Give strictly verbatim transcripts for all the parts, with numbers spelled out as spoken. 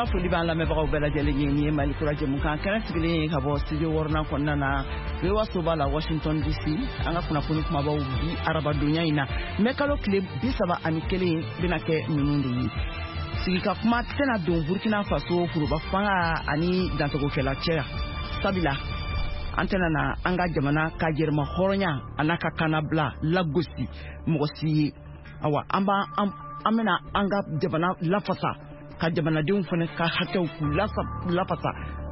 An ka foli b'an lamɛnbagaw bɛɛ lajɛlen ye. Nin ye Mali Kura jɛmukan kɛnɛ sigilen ye ka bɔ studio wɔɔrɔnan kɔnɔna na, V O A soba la, Washington D C. An ka kunnafoni kumabaw bi arabadonya in na, mɛ kalo tile bi saba ani kelen, bɛna kɛ ninnu de ye: sigika kuma tɛna don Burkina Faso foroba fanga ani dantigɛkɛla cɛ, sabula an tɛna na an ka jamana ka yɛrɛma hɔrɔnya a n'a ka kannabila lagosi mɔgɔ si ye. Awa, an b'an an bɛna an ka jamana lafasa, ka jamanadenw fana ka hakɛw k'u lafasa,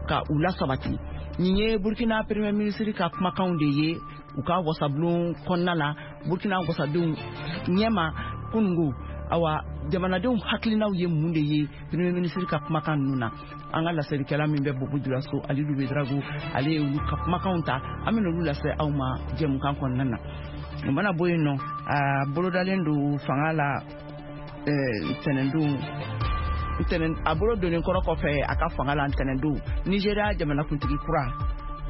ka u lasabati. Nin ye Burkina Premier ministre ka kumakanw de ye u ka wasabulon kɔnɔna la, Burkina wasadenw ɲɛma kunungo. Awa, jamanadenw hakilinaw ye mun de ye Premier ministre ka kumakan ninnu na? An ka laselikɛla min bɛ Bobo Julaso, Alidu Bedrago, ale ye olu ka kumakanw ta. An bɛna olu lase aw ma jɛmukan kɔnɔna na. O mana bɔ yen nɔ, a bolodalen don fanga la ntɛnɛndon, ntɛnɛn a bolo donnen kɔrɔ kɔfɛ a ka fanga la ntɛnɛndon, Nigéria jamanakuntigi kura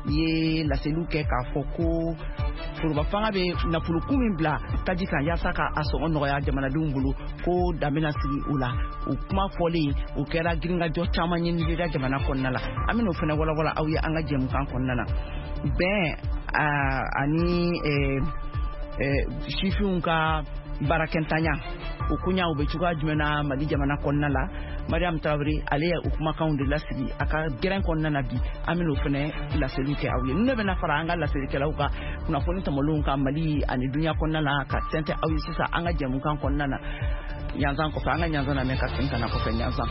ye laseliw kɛ k'a fɔ ko foroba fanga bɛ nafolokun min bila taji kan yaasa ka a sɔngɔ nɔgɔya jamanadenw bolo, ko dan bɛna sigi o la. O kuma fɔlen, o kɛra girinkajɔ caman ye Nigéria jamana kɔnɔna la. An bɛn'o fana walawala aw ye an ka jɛmukan kɔnɔna na. Bɛn ani sifinw ka baarakɛntanya, o koɲa o bɛ cogoya jumɛn na Mali jamana kɔnɔna la? Mariam Tarawele, ale ye o kumakanw de lasigi a ka gɛrɛn kɔnɔna na bi. An bɛn'o fana laseliw kɛ aw ye. Ninnu bɛna fara an ka laselikɛlaw ka kunnafoni tɔmɔlenw kan Mali ani dunuya kɔnɔna na, ka tɛntɛ aw ye sisan an ka jɛmukan kɔnɔna na. Ɲanzan kɔfɛ, an ka ɲanzan lamɛn ka segin ka na kɔfɛ ɲanzan.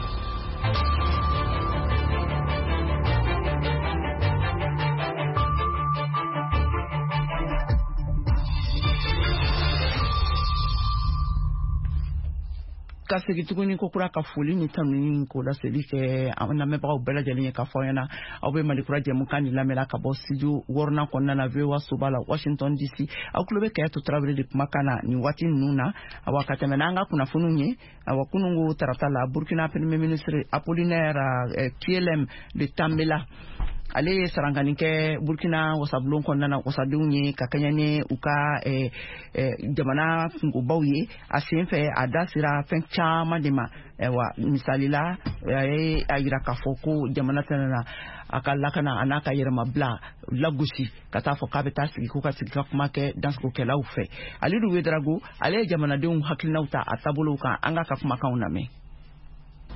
Ka segin tuguni ko kura ka foli ni tanuni k'o laseli kɛ an lamɛnbagaw bɛɛ lajɛlen ye, ka fɔ aw ɲɛna aw bɛ Mali Kura jɛmukan ni lamɛnla ka bɔ studio wɔɔrɔnan kɔnɔna na, V O A soba la, Washington D C. Aw tulo bɛ Kɛyɛtu Tarawele de kumakan na nin waati ninnu na. Awa, ka tɛmɛ n'an ka kunnafoniw ye. Awa, kunungo tarata la, Burkina Premier ministre Apollinaire Kyélem de Tambela, ale ye sarankani kɛ Burkina wasabulon kɔnɔna na wasadenw ye, ka kɛɲɛ ni u ka jamana kungobaw ye. A sen fɛ, a da sera fɛn caman de ma. Ayiwa, misali la, a ye a yira k'a fɔ ko jamana tɛna na a ka lakana a n'a ka yɛrɛmabila lagosi, ka taa fɔ k'a bɛ taa sigi ko ka sigi ka kuma kɛ dansogokɛlaw fɛ. Alidu Wedarago, ale ye jamanadenw hakilinaw ta a taabolow kan. An k'a ka kumakanw lamɛn.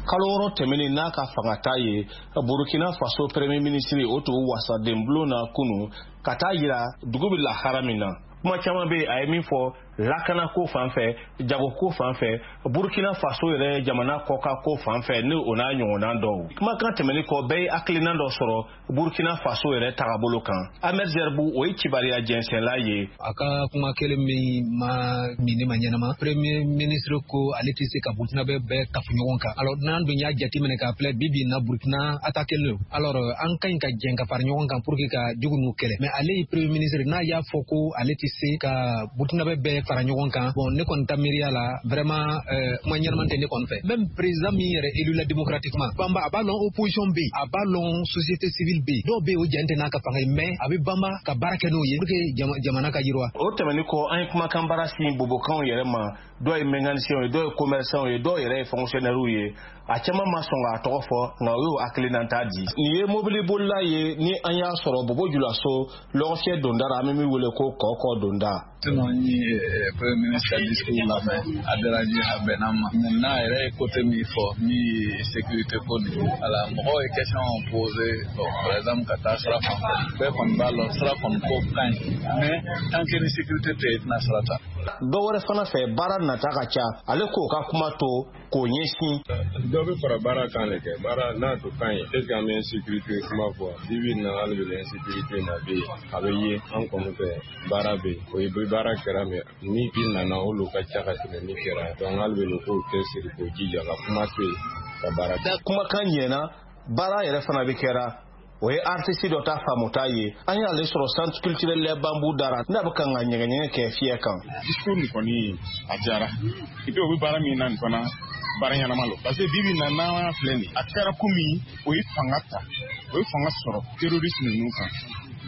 Kalo wɔɔrɔ tɛmɛnen n'a ka fangata ye, Burkina Faso Premier ministre o tun wasaden bulon na kunu ka taa yira dugu bɛ lahara min na. Kuma caman bɛ yen a ye min fɔ lakanako fan fɛ, jagoko fan fɛ, Burkina Faso yɛrɛ jamana kɔkan ko fan fɛ, ni o n'a ɲɔgɔnna dɔw. Kumakan tɛmɛnen kɔ, bɛɛ ye hakilina dɔ sɔrɔ Burkina Faso yɛrɛ tagabolo kan. Ahmed Zerbu, o ye kibariya jɛnsɛnla ye. A ka kuma kelen min ma min ne ma ɲɛnama, Premier ministre ko ale tɛ se ka Burkina bɛɛ bɛɛ kafu ɲɔgɔn kan. Alors, n'an dun y'a jateminɛ k'a filɛ, bi bi in na Burkina attaqué don. Alors, an ka ɲi ka jɛn ka fara ɲɔgɔn kan pour que ka jugu n'u kɛlɛ. Mais ale ye Premier ministre, n'a y'a fɔ ko ale tɛ se ka Burkina bɛɛ bɛɛ fara ɲɔgɔn kan, bon, ne kɔni ta miiriya la, vraiment, euh, kuma ɲɛnama tɛ ne kɔni fɛ. Même président min yɛrɛ élu la démocratiquement, banba, a b'a lɔn opposition bɛ yen, a b'a lɔn société civile bɛ yen, dɔw bɛ yen o jɛn tɛ n'a ka fanga ye, mais a bɛ banba ka baara kɛ n'o ye pour que jamana ka yiriwa. O tɛmɛnen kɔ, an ye kumakan baara sin bobokanw yɛrɛ ma. Dɔw ye mécanicien ye, dɔw ye commerçant ye, dɔw yɛrɛ ye fonctionnaire ye. A caman ma sɔn k'a tɔgɔ fɔ, nka o y'o hakilinata di. Nin ye mobilibolila ye ni an y'a sɔrɔ Bobo Julaso lɔgɔfiyɛ donda la, an bɛ min wele ko Kɔkɔ donda. Sinon, n ye Premier ministre ka discours lamɛn, a diyara n ye, a bɛnna n ma. N'a yɛrɛ ye côté min fɔ, min ye sécurité ko nin, voilà, mɔgɔw ye question posé. Bon, par exemple, ka taa sira fan fɛ, bɛɛ kɔni b'a lɔn sira kɔni ko ka ɲi, mais tant que ni sécurité tɛ yen, i tɛna sira ta. Dɔ wɛrɛ fana fɛ, baara nata ka ca, ale k'o ka kuma to k'o ɲɛsin. Dɔ bɛ fara baara kan de kɛ baara n'a to kan ye. Est ce que an bɛ insécurité kuma fɔ bi bi in na? Hali bi insécurité na bɛ yen, a bɛ ye an kɔni fɛ, baara bɛ yen, o ye baara kɛra, mɛ ni bi nana olu ka ca ka tɛmɛ min kɛra. Donc hali bi k'o cɛsiri, k'o jija ka kuma to yen ka baara kɛ. Kumakan ɲɛna, baara yɛrɛ fana bɛ kɛra. O ye artiste dɔ ta faamuta ye. An y'ale sɔrɔ Centre culturel Les Bambous dara n'a bɛ kan ka ɲɛgɛɲɛgɛ kɛ fiyɛ kan. Discours nin kɔni a diyara. Et puis o bɛ baara min na nin fana, baara ɲɛnama lo, parce que bi bi in na n'an filɛ nin, a kɛra komi o ye fanga ta, o ye fanga sɔrɔ terroriste ninnu kan.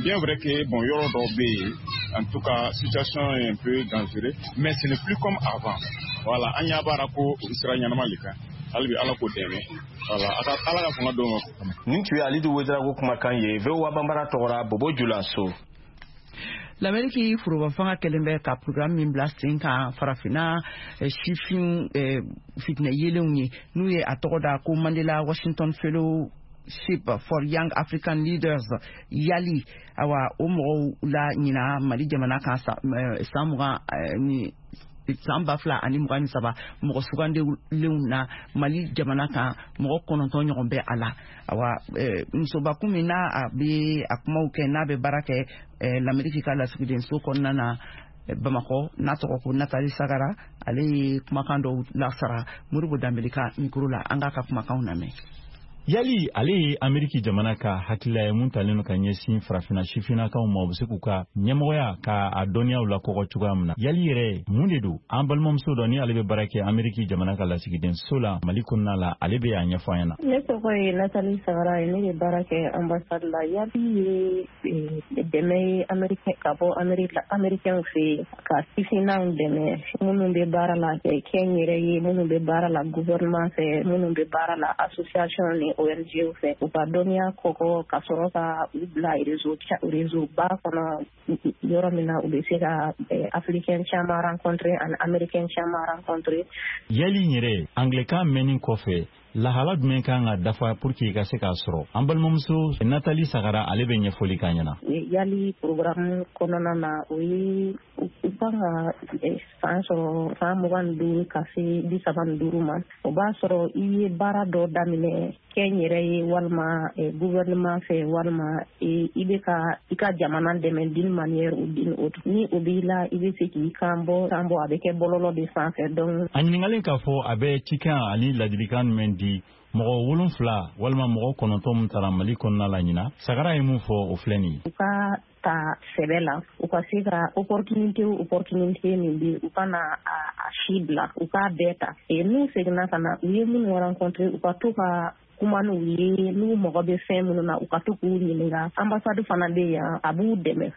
Bien vrai que bon, yɔrɔ dɔw bɛ yen, en tout cas situation est un peu dangereux, mais ce n'est plus comme avant. Voilà, an y'a baara ko o sira ɲɛnama le kan. Hali bi Ala k'o dɛmɛ. Wala a ka Ala ka fanga d'o ma. Nin tun ye Alidu Ouédraogo kumakan ye V O A Banbara tɔgɔra Bobo Julaso. L'Amérique foroba fanga kɛlen bɛ ka programme min bila sen kan farafinna sifin fitinɛ yelenw ye, n'u ye a tɔgɔ da ko Mandela Washington Fellowship for Young African Leaders, YALI. Awa, o mɔgɔw la ɲina Mali jamana kan san mugan ni san ba fila ani mugan ni saba mɔgɔ sugandilenw na Mali jamana kan, mɔgɔ kɔnɔntɔn ɲɔgɔn bɛ a la. Awa, musobakun min n'a a bɛ a kumaw kɛ, n'a bɛ baara kɛ l'Amérique ka lasigidenso kɔnɔna na Bamakɔ, n'a tɔgɔ ko Nathalie Sagara, ale ye kumakan dɔw lasara Modibo Danbele ka micro la. An k'a ka kumakanw lamɛn. YALI ale ye Ameriki jamana ka hakilila ye mun talen don ka ɲɛsin farafinna sifinnakaw ma, u bɛ se k'u ka ɲɛmɔgɔya ka a dɔnniyaw lakɔgɔ cogoya min na. YALI yɛrɛ mun de don? An balimamuso dɔ ni ale bɛ baara kɛ Ameriki jamana ka lasigidenso la Mali kɔnɔna la, ale bɛ a ɲɛfɔ an ɲɛna. Ne tɔgɔ ye Nathalie Sagara ye, ne bɛ baara kɛ ambassade la. YALI ye dɛmɛ ye Ameriki ka bɔ Américain fɛ yen ka sifinnaw dɛmɛ, minnu bɛ baara la kɛnyɛrɛ ye, minnu bɛ baara la gouvernement fɛ, minnu bɛ baara la association ni O N G fɛ, u ka dɔnniya kɔkɔ ka sɔrɔ ka u bila réseau réseau ba kɔnɔ, yɔrɔ min na u bɛ se ka africain caman rencontrer ani américain caman rencontrer. YALI yɛrɛ anglais-kan mɛnni kɔfɛ, lahala jumɛn kan ka dafa pour que i ka se k'a sɔrɔ? An balimamuso Nathalie Sagara, ale bɛ ɲɛfɔli k'an ɲɛna. YALI programme kɔnɔna na, o ye u kan ka san sɔrɔ san mugan ni duuru ka se bi saba ni duuru ma. O b'a sɔrɔ i ye baara dɔ daminɛ kɛnyɛrɛ ye, walima gouvernement fɛ, walima i bɛ ka i ka jamana dɛmɛ d'une manière ou d'une autre. Ni o b'i la, i bɛ se k'i kan bɔ kan bɔ a bɛ kɛ bɔlɔlɔ de sanfɛ. Donc a ɲininkalen k'a fɔ a bɛ cikan ani ladilikan jumɛn di mɔgɔ wolonfila walima mɔgɔ kɔnɔntɔn min taara Mali kɔnɔna la ɲina, Sagara ye mun fɔ o filɛ nin ye. U ka ta sɛbɛ la, u ka se ka opportunité opportunité min bɛ, u ka na a si bila, u k'a bɛɛ ta. N'u seginna ka na, u ye minnu rencontrer, u ka to ka kuma n'u ye, n'u mago bɛ fɛn minnu na, u ka to k'u ɲininka. Ambassade fana bɛ yan, a b'u dɛmɛ,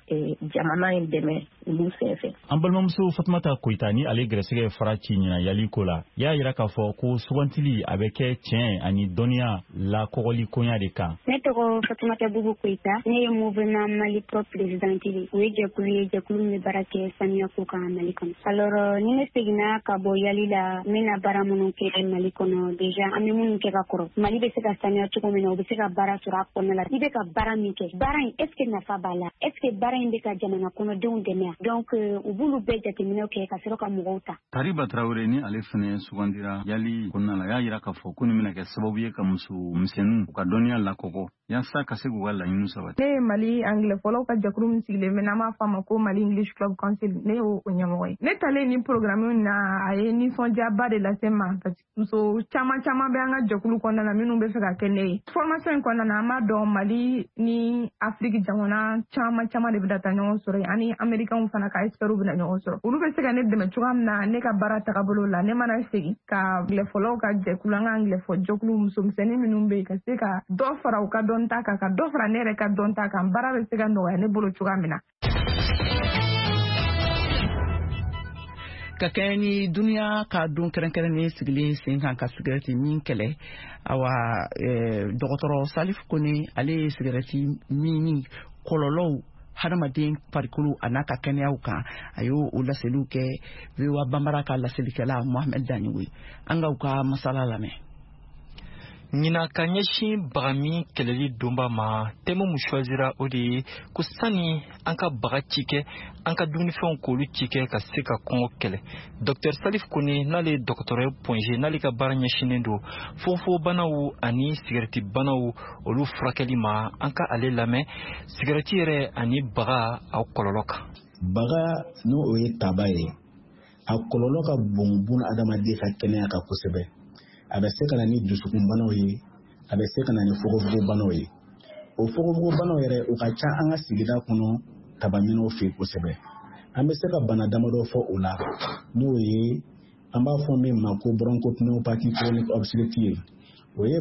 jamana in dɛmɛ olu sen fɛ. An balimamuso Fatumata Koyita ni ale gɛrɛsɛgɛ fara ci ɲina YALI ko la, y'a yira k'a fɔ ko sugantili a bɛ kɛ tiɲɛ ani dɔnniya lakɔgɔli koɲa de kan. Ne tɔgɔ Fatumata Bubu Koyita, ne ye Mouvement Mali Propre présidente ye. O ye jɛkulu ye, jɛkulu min bɛ baara kɛ saniya ko kan Mali kɔnɔ. Alors ni ne seginna ka bɔ YALI la, n bɛna baara minnu kɛ Mali kɔnɔ, déjà an bɛ minnu kɛ ka kɔrɔ, Mali bɛ se ka saniya cogo min na, u bɛ se ka baara sɔrɔ a kɔnɔna la. I bɛ ka baara min kɛ, baara in est ce que nafa b'a la, est ce que baara in bɛ ka jamana kɔnɔdenw dɛmɛ? Donc u b'olu bɛɛ jateminɛw kɛ ka sɔrɔ ka mɔgɔw ta. Tariba Tarawele ni ale fɛnɛ sugandira YALI kɔnɔna la, y'a yira k'a fɔ ko nin bɛna kɛ sababu ye ka muso misɛnninw u ka dɔnniya lakɔgɔ yaasa ka se k'u ka laɲiniw sabati. Ne ye Mali anglais fɔlɔw ka jɛkulu min sigilen bɛ, n'an b'a fɔ a ma ko Mali English Club Council, ne y'o ɲɛmɔgɔ ye. Ne talen ni programme na, a ye nisɔndiyaba de lase n ma, parce que muso caman caman bɛ an ka jɛkulu kɔnɔna na minnu bɛ fɛ ka kɛ ne ye. Formation in kɔnɔna na, an b'a dɔn Mali ni Afrique jamana caman caman de bɛna taa ɲɔgɔn sɔrɔ yen, ani Américains fana ka experts bɛna ɲɔgɔn sɔrɔ. Olu bɛ se ka ne dɛmɛ cogoya min na ne ka baara tagabolo la, ne mana segin ka anglais fɔlɔw ka jɛkulu, an ka anglais fɔ jɛkulu musomisɛnnin minnu bɛ yen, ka se ka dɔ fara u ka dɔnta kan, ka dɔ fara ne yɛrɛ ka dɔnta kan, baara bɛ se ka nɔgɔya ne bolo cogoya min na. Ka kɛɲɛ ni duniya ka don kɛrɛnkɛrɛnnen sigilen sen kan ka sigɛrɛti min kɛlɛ, awa dɔgɔtɔrɔ Salif Kone, ale ye sigɛrɛti minni kɔlɔlɔw hadamaden farikolo a n'a ka kɛnɛyaw kan, a y'o o laseliw kɛ V O A Banbara ka laselikɛla Mohamed Daniwe. An k'aw ka masala lamɛn. Ɲina ka ɲɛsin bagami kɛlɛli donba ma, thème mun choisira o de ye ko sani an ka baga ci kɛ, an ka dumunifɛnw k'olu ci kɛ ka se ka kɔngɔ kɛlɛ. Docteur Salif Kone, n'ale ye dɔgɔtɔrɔ ye Point G, n'ale ka baara ɲɛsinnen don fonfonbanaw ani sigɛrɛti banaw olu furakɛli ma, an ka ale lamɛn sigɛrɛti yɛrɛ ani baga aw kɔlɔlɔ kan. Baga n'o ye taba ye, a kɔlɔlɔ ka bon buna adamaden ka kɛnɛya kan kosɛbɛ. A bɛ se ka na ni dusukunbanaw ye, a bɛ se ka na ni fogofogobanaw ye. O fogofogobanaw yɛrɛ, o ka ca an ka sigida kɔnɔ tabaminɛw fɛ kosɛbɛ. An bɛ se ka bana damadɔ fɔ o la, n'o ye an b'a fɔ min ma ko bronchopneumopathie chronique obstructive. O ye